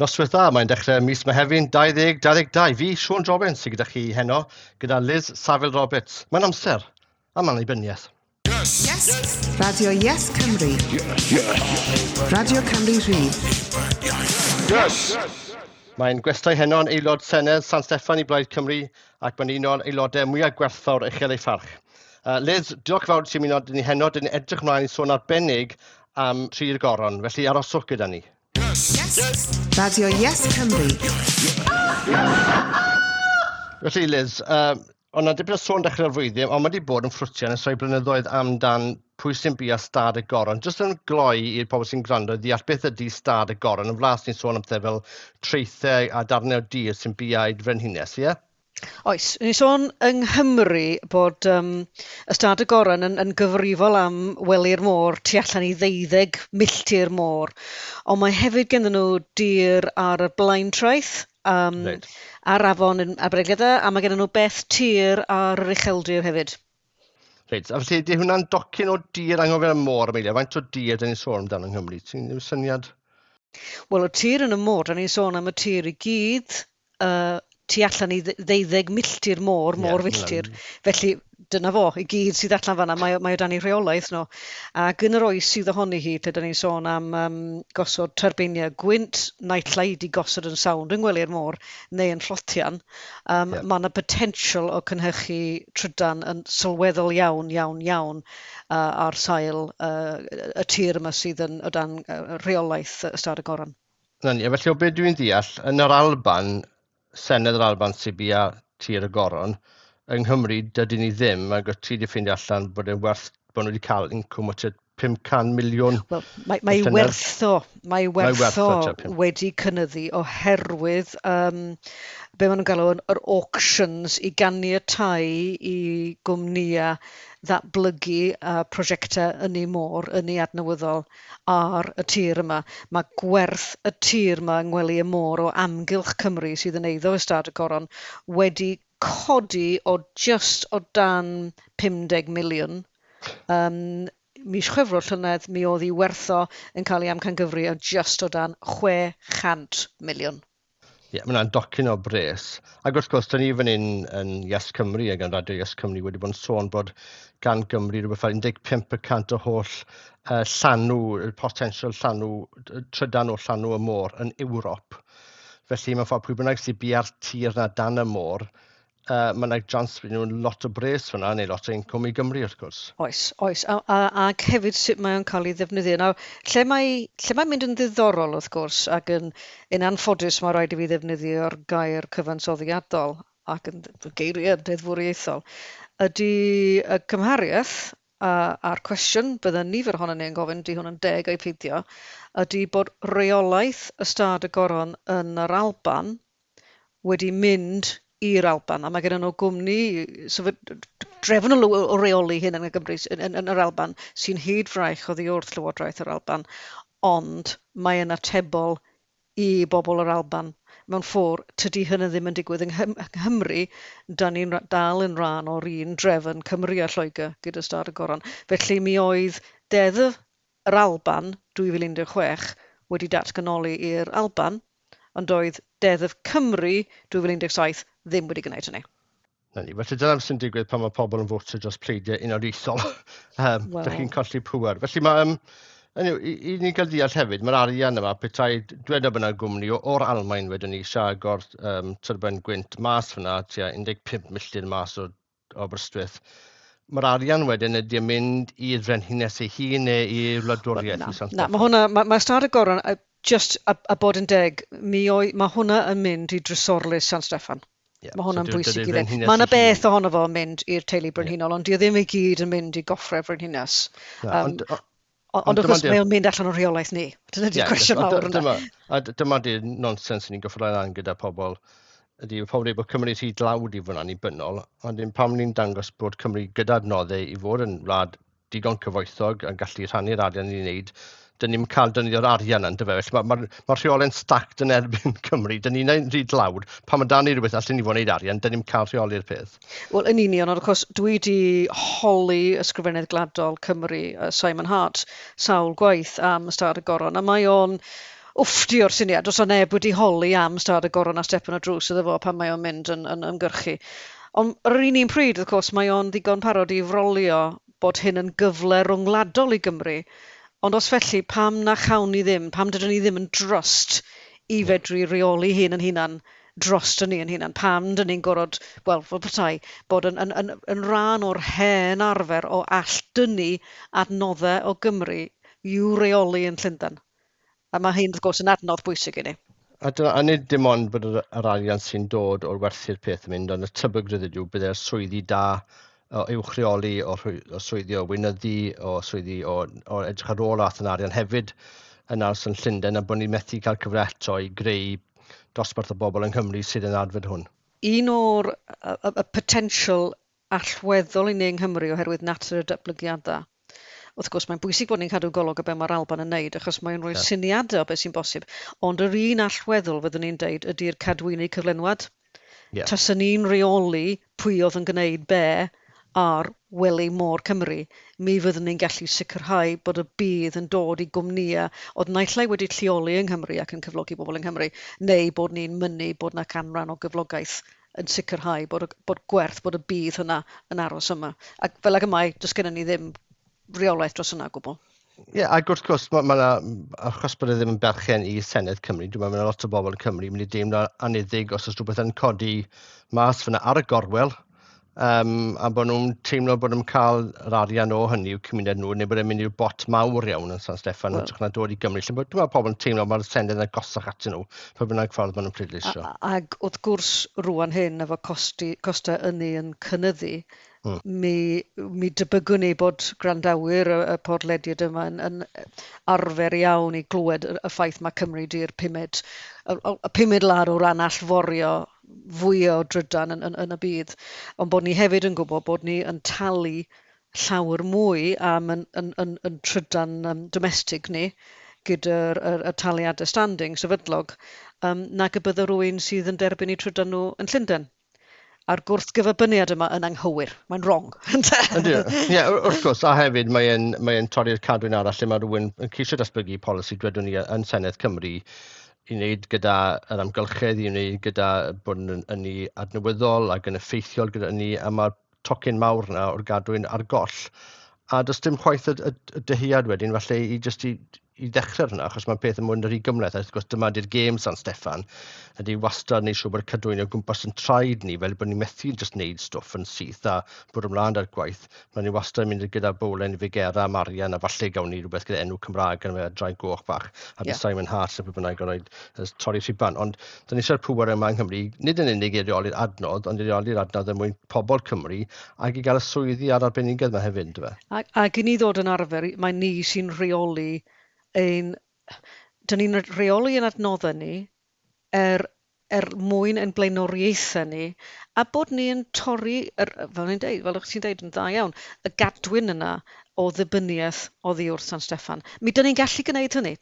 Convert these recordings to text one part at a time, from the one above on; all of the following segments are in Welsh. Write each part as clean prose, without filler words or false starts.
Noswaith dda, mae'n dechrau mis Mehefin 2022. Fi, Siôn Jobbins, sydd gyda chi heno, gyda Liz Saville Roberts. Mae'n amser am annibyniaeth. Yes. Yes. Radio Yes Cymru. Yes. Yes. Radio Cymru Rhydd. Yes. Mae'n gwestai heno yn aelod Senedd San Steffan i Blaid Cymru ac mae'n un o'r aelodau mwyaf gwerthfawr uchel ei pharch. Liz, diolch fawr ti'n ymuno ni heno. Dyn ni'n edrych ymlaen i sôn arbennig am Tri'r Goron, felly aroswch gyda ni. Yes. Yes. Radio Yes Cymru. Felly Liz, ond na dipyn o sôn dechrau'r flwyddyn, ond mae wedi bod yn ffrwtian ers rhai blynyddoedd amdan pwy sy'n bia stad y goron. Jyst yn gloi i'r pobl sy'n gwrando i ddeall beth ydy stad y goron. Yn flas ni'n sôn am pethau fel traethau a darnau o dir sy'n biau'r frenhines, ie? Oes, ni'n sôn yng Nghymru bod ystâd y Goron yn gyfrifol am wely'r môr tu allan i 12 milltir môr, ond mae hefyd gennym nhw dir ar y Blaentraeth, ar afon yn Aberdaugleddau, a mae gennym nhw beth tir ar yr ucheldir hefyd. Reit, a felly ydy hwnna'n docyn o dir anghofio am môr, Amelia? Faint o dir dyn ni'n sôn amdano yng Nghymru? Ti'n ddim syniad? Wel, y tir yn y môr, dyn ni'n sôn am y tir i gyd, tu allan i 12 milltir môr, môr filltir. Felly dyna fo, i gyd sydd allan fan'na, mae o dan ei rheolaeth nhw. Ac yn yr oes sydd ohoni hi, lle dan ni'n sôn am gosod tyrbeiniau gwynt, naill ai 'di gosod yn sawnd yng ngwely'r môr neu yn llotian, mae yna potential o cynhyrchu trydan yn sylweddol iawn, iawn, iawn ar sail y tir yma sydd yn o dan rheolaeth Ystâd y Goron. Na ni, a felly o beth dwi'n deall, yn yr Alban, Senedd yr Alban sy'n bia tir y Goron, yng Nghymru dydyn ni ddim, ac o ti wedi ffeindio allan bod e'n werth, bod nhw wedi cael incwm o tua 500 miliwn. Wel, mae y llynedd. werth o, mae Mae werth werth o o tua pum. wedi cynyddu oherwydd be maen nhw'n galw yn yr auctions i ganiatáu i gwmnïau ddatblygu prosiectau ynni môr, ynni adnewyddol ar y tir yma. Mae gwerth y tir yma yng ngwely y môr o amgylch Cymru sydd yn eiddo Ystâd y Goron wedi codi o just o dan 50 miliwn. Mis Chwefror llynedd mi oedd ei werth o yn cael ei amcangyfri o just o dan 600 miliwn. Ie, mae hwnna'n docyn o bres. Ac wrth gwrs, da ni fan hyn yn Yes Cymru ac yn Radio Yes Cymru wedi bod yn sôn bod gan Gymru rhywbeth fel 15% o holl llanw, y potensial llanw, trydan o llanw y môr yn Ewrop. Felly mewn ffordd pwy bynnag sy'n bia'r tir na dan y môr, mae yna chance bydd nhw'n lot o bres fyna, neu lot o incwm i Gymru wrth gwrs. Oes, oes. Ac hefyd sut mae o'n cael ei ddefnyddio. Nawr, lle mae'n mynd yn ddiddorol wrth gwrs, ac yn anffodus mae rhaid i fi ddefnyddio'r gair cyfansoddiadol ac yn geiriau deddfwriaethol, ydy y cymhariaeth a'r cwestiwn bydde nifer ohonon ni yn gofyn, di hwn yn deg ai peidio, ydy bod reolaeth Ystâd y Goron yn yr Alban wedi mynd i'r Alban, a mae gen nhw gwmni drefn o reoli hyn yn y Gymru, yn yr Alban, sy'n hyd fraich oddi wrth Llywodraeth yr Alban, ond mae yn atebol i bobl yr Alban. Mewn ffordd, tydi hynny ddim yn digwydd yng Nghymru, da ni'n dal yn rhan o'r un drefn Cymru a Lloegr gyda Ystâd y Goron. Felly mi oedd Deddf yr Alban 2016 wedi datganoli i'r Alban, ond oedd Deddf Cymru 2017 ddim wedi gwneud hynny. Na ni, felly dyna sy'n digwydd pan mae pobl yn fotio dros pleidiau unoliaethol. Dych chi'n colli pŵer. Felly mae, anyway, i ni gael deall hefyd, mae'r arian yma, petai, dweda bod yna gwmni o'r Almaen wedyn ni eisiau agor tyrben gwynt mas fyna, tua 15 milltir mas o Aberystwyth. Mae'r arian wedyn ydy yn mynd i'r frenhines ei hun neu i'r wladwriaeth Na, i San na, Steffan? mae hwnna, mae Ystâd y Goron, just a bod yn deg, mae hwnna yn mynd i drysorlys San Steffan. Ie, Mae hwnna'n so bwysig dydy'r i ddweud. frenhines Mae yna ei hun. beth ohono fo yn mynd i'r teulu brenhinol, ond dio ddim i gyd yn mynd i goffrau frenhines. Na, ond, Ond ond wrth gwrs dyma mae o'n mynd allan o'r rheolaeth ni. Dyna di'r Ie, cwestiwn mawr yna. A dyma di'r nonsens ni'n gorfod lan gyda pobl. Ydy pobl dweud bod Cymru rhy dlawd i fod yn annibynnol, ond dim pam ni'n dangos bod Cymru gyda adnoddau i fod yn wlad digon cyfoethog yn gallu rhannu'r arian ni'n wneud, dyn ni'n cael defnyddio'r arian yna, yndyfe? Felly ma rheolau'n stacked yn erbyn Cymru. Dyn ni'n rhy dlawd. Pan mae dan ni rhywbeth allan ni fod yn wneud arian, dyn ni'n cael rheoli'r peth. Wel, yn union, ond wrth gwrs, dwi wedi holi Ysgrifennydd Gwladol Cymru, Simon Hart, sawl gwaith am Ystâd y Goron, a mae o'n wfftio'r syniad, os o neb wedi holi am stad y goron a stepen o drws iddo fo pan mae o'n mynd yn ymgyrchu. Ond ar yr un pryd, wrth gwrs, mae o'n ddigon parod i frolio bod hyn yn gyfle rhwngwladol i Gymru. Ond os felly, pam na chawn ni ddim, pam dydyn ni ddim yn drust i fedru reoli hyn yn hunan dros ni yn hunan, pam dyn ni'n gorfod, wel, fel petai, bod yn rhan o'r hen arfer o all-dynnu adnoddau o Gymru i'w reoli yn Llundain. A mae hyn, wrth gwrs, yn adnodd bwysig i ni. A nid dim ond bod yr arian sy'n dod o'r werthu'r peth yn mynd, ond y tebygrwydd yw byddai'r swyddi da o uwch reoli, o swyddi o weinyddu, o swyddi o edrych ar ôl ath yn arian hefyd yn aros yn Llundain, a bod ni'n methu cael cyfle eto i greu dosbarth o bobl yng Nghymru sydd yn adfod hwn. Un o'r y potential allweddol i ni yng Nghymru oherwydd natur y datblygiadau, wrth gwrs mae'n bwysig bod ni'n cadw golwg o be mae'r Alban yn neud, achos mae'n rhoi syniadau o beth sy'n bosib. Ond yr un allweddol fyddwn ni'n deud ydy'r cadwyni cyflenwad. Taswn ni'n rheoli pwy oedd yn gwneud be ar wely môr Cymru, mi fyddwn ni'n gallu sicrhau bod y budd yn dod i gwmnïau oedd naill ai wedi lleoli yng Nghymru ac yn cyflogi bobl yng Nghymru, neu bod ni'n mynnu bod 'na canran o gyflogaeth yn sicrhau bod gwerth, bod y budd hynna yn aros yma. Ac fel ag y mae, does gennym ni ddim reolaeth dros hynna o gwbl. Ie, yeah, ac wrth gwrs, ma 'na, achos bod e ddim yn berchen i Senedd Cymru, dwi'n meddwl mae 'na lot o bobl yn Cymru yn mynd i deimlo anniddig os oes rhywbeth yn codi mas fyna ar y gorwel, a bod nhw'n teimlo bod nhw'n cael yr arian o hynny i'w cymuned nhw, neu bod e'n mynd i'r bot mawr iawn yn San Steffan, yn hytrach na dod i Gymru. Lle dwi'n meddwl pobl yn teimlo mae'r Senedd yn agosach atyn nhw, pa bynnag ffordd maen nhw'n pleidleisio. Ac wrth gwrs, rwan hyn, efo costau ynni yn cynyddu, mi debygwn ni bod gwrandawyr y podlediad yma yn arfer iawn i glywed y ffaith mae Cymru di'r pumed wlad o ran allforio fwy o drydan yn y byd. Ond bod ni hefyd yn gwybod bod ni yn talu llawer mwy am yn trydan domestig ni gyda'r y taliadau standing sefydlog nag y bydde rhywun sydd yn derbyn eu trydan nhw yn Llundain. A'r gwrthgyferbyniad yma yn anghywir. Mae'n wrong. Ydy. Ie, wrth gwrs, a hefyd mae torri'r cadwyn arall lle mae rhywun yn ceisio datblygu polisi, dwedwn ni, yn Senedd Cymru i wneud gyda yr amgylchedd, i wneud gyda bod yn ynni adnewyddol ac yn effeithiol gyda ynni, a mae'r tocyn mawr yna o'r gadwyn ar goll. A does dim chwaith y dyhead wedyn, falle i jyst i ddechrau hwnna, achos mae'n peth yn mynd yn rhy gymhleth. A wrth gwrs, dyma di'r gêm San Steffan, ydy wastad wneud siŵr bod y cadwyni o gwmpas yn traed ni, fel bod ni'n methu jyst wneud stwff yn syth a bod ymlaen ar gwaith. Mae ni wastad yn mynd gyda bowlen i Figera, Marian, a falle gawn ni rhywbeth gyda enw Cymraeg yn y draig goch bach, a bydd Simon Hart a pwy bynnag yn rhoi torri rhuban. Ond da ni eisiau'r pŵer yma yng Nghymru, nid yn unig i reoli'r adnodd, ond i reoli'r adnodd er mwyn pobl Cymru, ac i gael y swyddi a'r arbenigedd yma hefyd, yndyfe? Ac i ni ddod yn arfer, mae ni sy'n rheoli ein... Dyn ni'n rheoli ein adnoddau ni er mwyn ein blaenoriaethau ni, a bod ni yn torri, fel ni'n deud, fel o'ch ti'n deud yn dda iawn, y gadwyn yna o ddibyniaeth oddi wrth San Steffan. Mi dyn ni'n gallu gwneud hynny,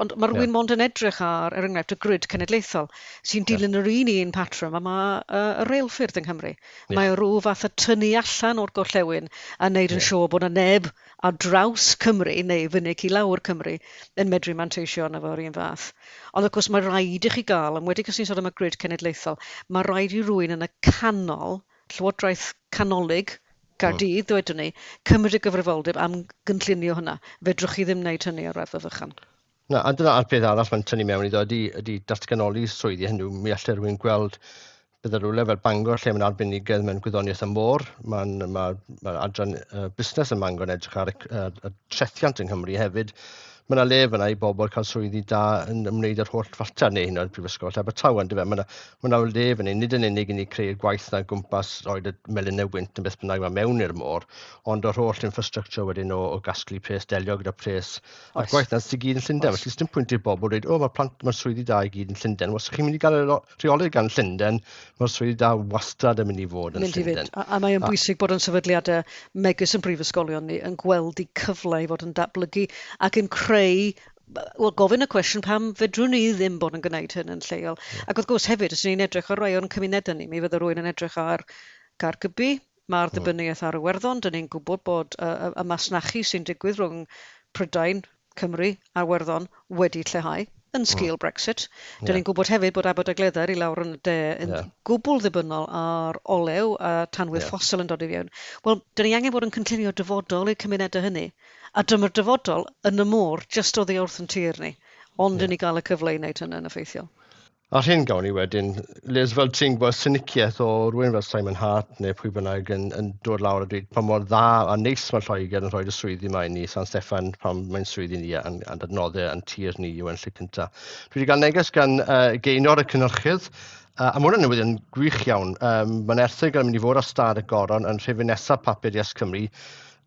ond mae rhywun mond yn edrych ar, er enghraifft, y grid cenedlaethol, sy'n dilyn yr un patrwm a mae y reilffyrdd yng Nghymru. Mae rhyw fath o tynnu allan o'r gorllewin a wneud yn siŵr bod yna neb ar draws Cymru neu fyny i lawr Cymru yn medru manteisio arno fo'r un fath. Ond wrth gwrs mae rhaid i chi gael, yn wedi os ni'n sôn am y grid cenedlaethol, mae rhaid i rywun yn y canol, Llywodraeth canolig, Caerdydd, dwedwn ni, cymryd y gyfrifoldeb am gynllunio hynna. Fedrwch chi ddim wneud hynny ar raddfa fychan. Na, a dyna'r peth arall mae'n tynnu mewn iddo ydy datganoli swyddi hynny. Mi allai rhywun gweld bydde rhywle fel Bangor lle mae'n arbenigedd mewn gwyddoniaeth y môr. Mae adran busnes yn Bangor yn edrych ar y trethiant yng Nghymru hefyd. Mae yna le fyna i bobl cael swyddi da yn ymwneud â'r holl fater neu hyn o'r Prifysgol Abertawe, yndyfe? Mae yna le fyna, nid yn unig i ni creu'r gwaith na gwmpas roed y melinau wynt yn beth bynnag mae mewn i'r môr, ond o'r holl infrastructure wedyn o gasglu pres, delio gyda pres, a'r gwaith na sydd i gyd yn Llundain. Felly, sdim pwynt i'r bobl dweud, o, mae'r swyddi da i gyd yn Llundain. Os chi'n mynd i gael rheoli gan Llundain, mae'r swyddi da wastad yn mynd i fod yn Mynd i fynd. Llundain. A mae o'n bwysig bod yn sefydliadau megis yn prifysgolion ni yn gweld eu cyfle i fod yn datblygu ac yn creu, wel, gofyn y cwestiwn pam fedrwn ni ddim bod yn gwneud hyn yn lleol. Ac wrth gwrs hefyd, os ni'n edrych ar rai o'n cymunedau ni, mi fydde rhywun yn edrych ar Gaergybi, mae'r ddibyniaeth ar Iwerddon, dyn ni'n gwybod bod y masnachu sy'n digwydd rhwng Prydain, Cymru a Iwerddon wedi lleihau. yn sgil Brexit. Dyn ni'n gwybod hefyd bod Aberdaugleddau i lawr yn y de yn gwbl ddibynnol ar olew a tanwydd ffosil yn dod i fewn. Wel, dyn ni angen bod yn cynllunio dyfodol i'r cymunedau hynny. A dyma'r dyfodol yn y môr, jyst oddi wrth yn tir ni. Ond dyn ni gael y cyfle i wneud hynny'n effeithiol. A'r hyn gawn ni wedyn, Liz, fel ti'n gwybod, syniciaeth o rhywun fel Simon Hart neu pwy bynnag yn dod lawr a dweud pa mor dda a neis mae Lloegr yn rhoi'r y swyddi yma i ni, San Steffan, pan mae'n swyddi ni a'n adnoddau a'n tir ni yw yn lle cyntaf. Dwi wedi cael neges gan Geinor y cynhyrchydd, a mae hwnna'n newyddion gwych iawn. Mae'n erthygl yn mynd i fod ar stad y Goron yn rhifyn nesaf papur Yes Cymru,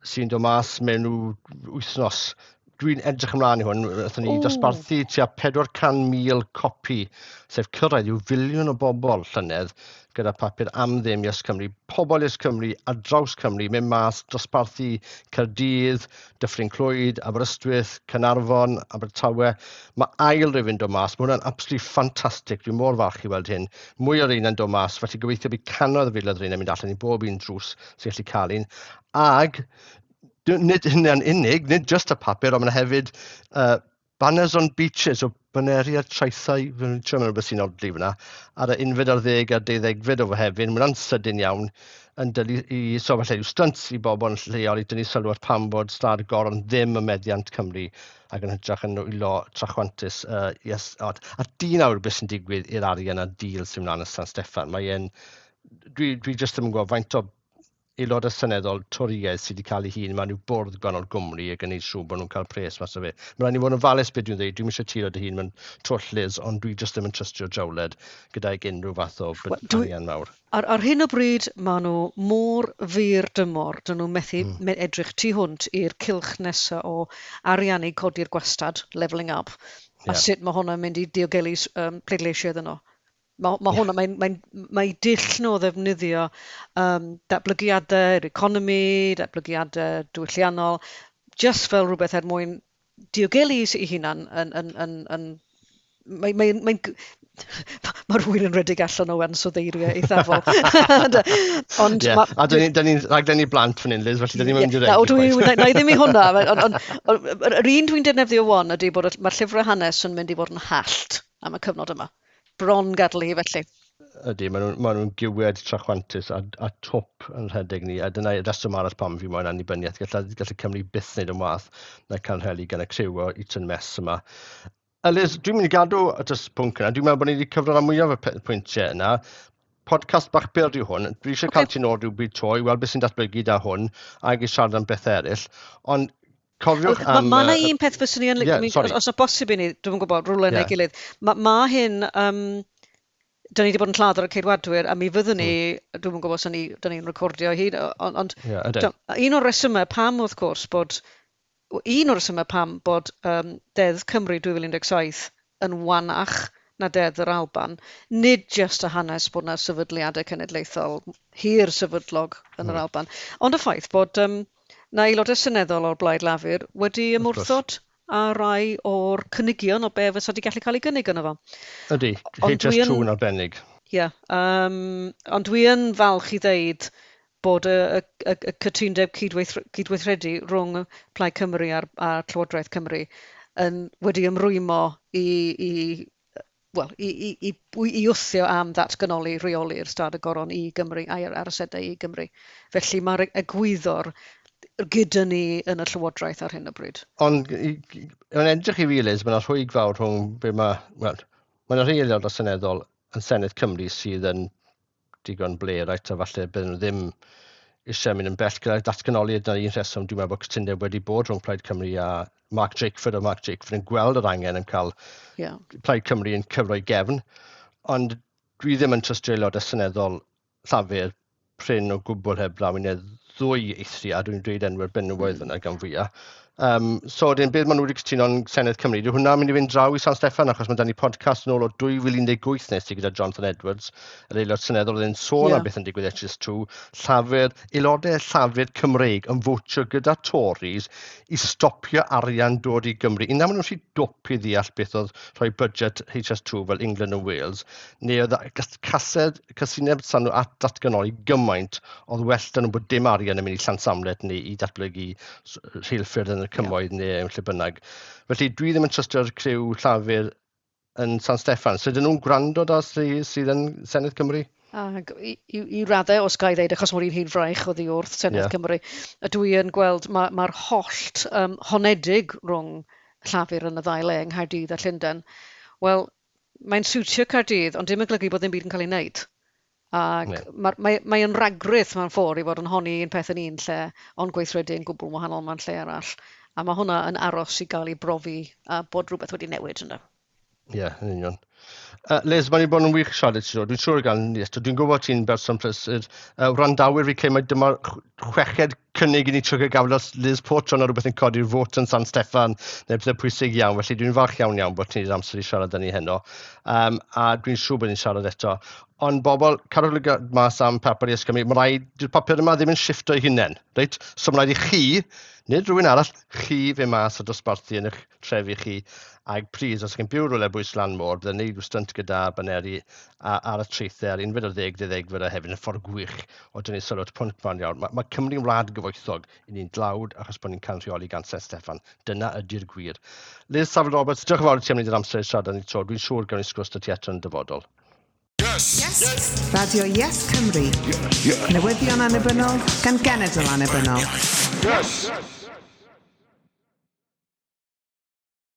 sy'n dod mas mewn wythnos. Dwi'n edrych ymlaen i hwn. Wnaethon ni dosbarthu tua 400,000 copi, sef cyrraedd i'w filiwn o bobl llynedd gyda papur am ddim Yes Cymru. Pobl Yes Cymru ar draws Cymru, mynd mas, dosbarthu Caerdydd, Dyffryn Clwyd, Aberystwyth, Caernarfon, Abertawe. Mae ail rifyn dod mas. Mae hwnna'n absolutely ffantastig. Dwi'n mor falch i weld hyn. Mwy o'r un yn dod mas, felly gobeithio bydd cannoedd o filoedd o'r un yn mynd allan i bob un drws sy'n gallu cael un. Ag nid hynny'n unig, nid just y papur, ond mae yna hefyd banners on beaches, o baneri ar traethau, fi'n trio meddwl beth sy'n odli fyna, ar y unfed ar ddeg a'r deuddegfed o Fehefin, mae hwnna'n sydyn iawn, yn dylu i, so falle yw stunts i bobl yn lleol i dynnu sylw at pam bod Stad y Goron ddim yn meddiant Cymru ac yn hytrach yn nwylo trachwantus. Yes, a dyn awr beth sy'n digwydd i'r arian a deal sy'n mlaen yn San Steffan. Mae e'n, dwi just ddim yn gwybod faint o aelodau seneddol Torïaidd sydd wedi cael ei hun mewn i'w bwrdd gwahanol gwmni ac yn gwneud siŵr bod nhw'n cael pres mas o fe. Mae rhaid i fod yn ofalus beth dwi'n dweud, dwi'n eisiau tiro dy hun mewn twll, Liz, ond dwi jyst ddim yn trystio Jawled gydag unrhyw fath o arian mawr. Ar hyn o bryd, maen nhw mor fyr dymor, dyn nhw methu edrych tu hwnt i'r cylch nesaf o ariannu codi'r gwastad, levelling up, a sut mae hwnna'n mynd i diogelu pleidleisiau iddyn nhw. Mae hwnna, mae dull nhw o ddefnyddio datblygiadau'r economi, datblygiadau diwylliannol, just fel rhywbeth er mwyn diogelu ei hunan yn mae rhywun yn rhedeg allan o ansoddeiriau eithafol. Ond a dyn ni'n rhaglen i blant fan hyn, Liz, felly dyn ni'n mynd i regu. Na i ddim i hwnna, ond yr un dwi'n defnyddio wan ydy bod mae'r llyfrau hanes yn mynd i fod yn hallt am y cyfnod yma. Bron gadael hi felly. Ydy, maen nhw'n giwed trachwantus a twp yn rhedeg ni, a dyna reswm arall pam fi moyn annibyniaeth. Gallai Cymru byth wneud yn wath na cael rheli gan y criw o Eton Mess yma. A Liz, dwi'n mynd i gadw at y pwnc yna. Dwi'n meddwl bod ni wedi cyfro rhan mwyaf y pwyntiau yna. Podcast bach byr yw hwn. Dwi eisiau cael ti'n ôl rhywbryd to i weld beth sy'n datblygu da hwn ac i siarad am bethau eraill. Ond cofiwch am... Mae yna un peth fyswn i yn licio, os yna bosib i ni, dwi'n gwybod, rhywle neu gilydd. Mae hyn, dyn ni wedi bod yn lladd ar y Ceidwadwyr, a mi fyddwn ni, dwi'n gwybod os dyn ni'n recordio hyd, ond un o'r resymau pam, wrth gwrs, bod, un o'r resymau pam bod Deddf Cymru 2017 yn wanach na Deddf yr Alban, nid jyst y hanes bod yna sefydliadau cenedlaethol hir sefydlog yn yr Alban, ond y ffaith bod na aelodau seneddol o'r Blaid Lafur wedi ymwrthod a rai o'r cynigion o be fysa wedi gallu cael ei gynnig yno fo. Ydy, HS2 yn arbennig. Ie, ond dwi yn falch i ddeud bod y cytundeb cydweithredu rhwng Plaid Cymru a'r Llywodraeth Cymru yn wedi ymrwymo i wthio am ddatganoli rheoli'r Stad y Goron i Gymru a'r asedau i Gymru. Felly mae'r egwyddor gyda ni yn y Llywodraeth ar hyn o bryd. Ond yn edrych i fi, Liz, mae yna rhwyg fawr rhwng be mae... Wel, mae yna rhai aelodau seneddol yn Senedd Cymru sydd yn digon blêr, right, a falle bydden nhw ddim eisiau mynd yn bell gyda'r datganoli. Dyna un rheswm dwi'n meddwl bod cytundeb wedi bod rhwng Plaid Cymru a Mark Drakeford, a Mark Drakeford yn gweld yr angen yn cael Plaid Cymru yn cyfro i gefn. Ond dwi ddim yn trystio aelodau seneddol Llafur prin o gwbl heb law i ddwy eithriad, dwi'n dweud enwau'r benywaidd yna gan fwyaf. So, wedyn, beth maen nhw wedi cytuno yn Senedd Cymru, dyw hwnna'n mynd i fynd draw i San Steffan, achos mae da ni podcast yn ôl o 2018 nes i gyda Jonathan Edwards, yr aelod seneddol, oedd e'n sôn am beth yn digwydd HS2, Llafur, aelodau Llafur Cymreig yn fotio gyda Tories i stopio arian dod i Gymru. Un na maen nhw'n rhy dwp i ddeall beth oedd rhoi budget HS2 fel England and Wales, neu oedd casineb san nhw at datganoli gymaint oedd well da nhw bod dim arian yn mynd i Llansamlet neu i datblygu rheilffyrdd yn y cymoedd neu yn lle bynnag. Felly dwi ddim yn trystio'r criw Llafur yn San Steffan. So ydyn nhw'n gwrando da sydd yn Senedd Cymru? Ac i raddau, os ga i ddeud, achos mae'r un hun fraich oddi wrth Senedd Cymru, a dwi yn gweld mae'r hollt honedig rhwng Llafur yn y ddau le yng Nghaerdydd a Llundain. Wel, mae'n siwtio Caerdydd, ond dim yn golygu bod ddim byd yn cael ei wneud. Ac mae yn ragrith mewn ffordd i fod yn honni un peth yn un lle, ond gweithredu yn gwbl wahanol mewn lle arall. A mae hwnna yn aros i gael ei brofi a bod rhywbeth wedi newid yna. Ie, yeah, yn union. Liz, mae'n i bod yn wych siarad ti. Dwi'n siŵr gan ni eto. Dwi'n gwybod ti'n berson prysur. Wrandawyr fi credu mai dyma'r chweched cynnig i ni trio gael os Liz Port o rhywbeth yn codi'r fot yn San Steffan neu pethau pwysig iawn. Felly dwi'n falch iawn iawn bod ti'n amser i siarad â ni heno. A dwi'n siŵr bod ni'n siarad eto. Ond bobl, cadwch lygad mas am papur Yes Cymru. Mae rhaid, dyw'r papur yma ddim yn shifto ei hunain. Reit? So mae rhaid i chi, nid rhywun arall, chi fe mas a dosbarthu yn eich trefi chi. Ac plis, os chi'n byw rhywle bwys lan môr, byddai'n neud rhyw stynt gyda baneri ar y traethau ar 11 12 o hefyd yn ffordd gwych o dynnu sylw at pwnc mawr iawn. Mae Cymru'n wlad gyfoethog i ni'n dlawd achos bod ni'n cael rheoli gan San Steffan. Dyna ydy'r gwir. Liz Saville Roberts, diolch yn fawr i ti am wneud yr amser i siarad â ni 'to. Dwi'n siŵr gawn ni sgwrs 'da ti eto yn y dyfodol. Yes. Yes. Radio Yes Cymru. Yes. Newyddion annibynnol gan genedl annibynnol. Yes.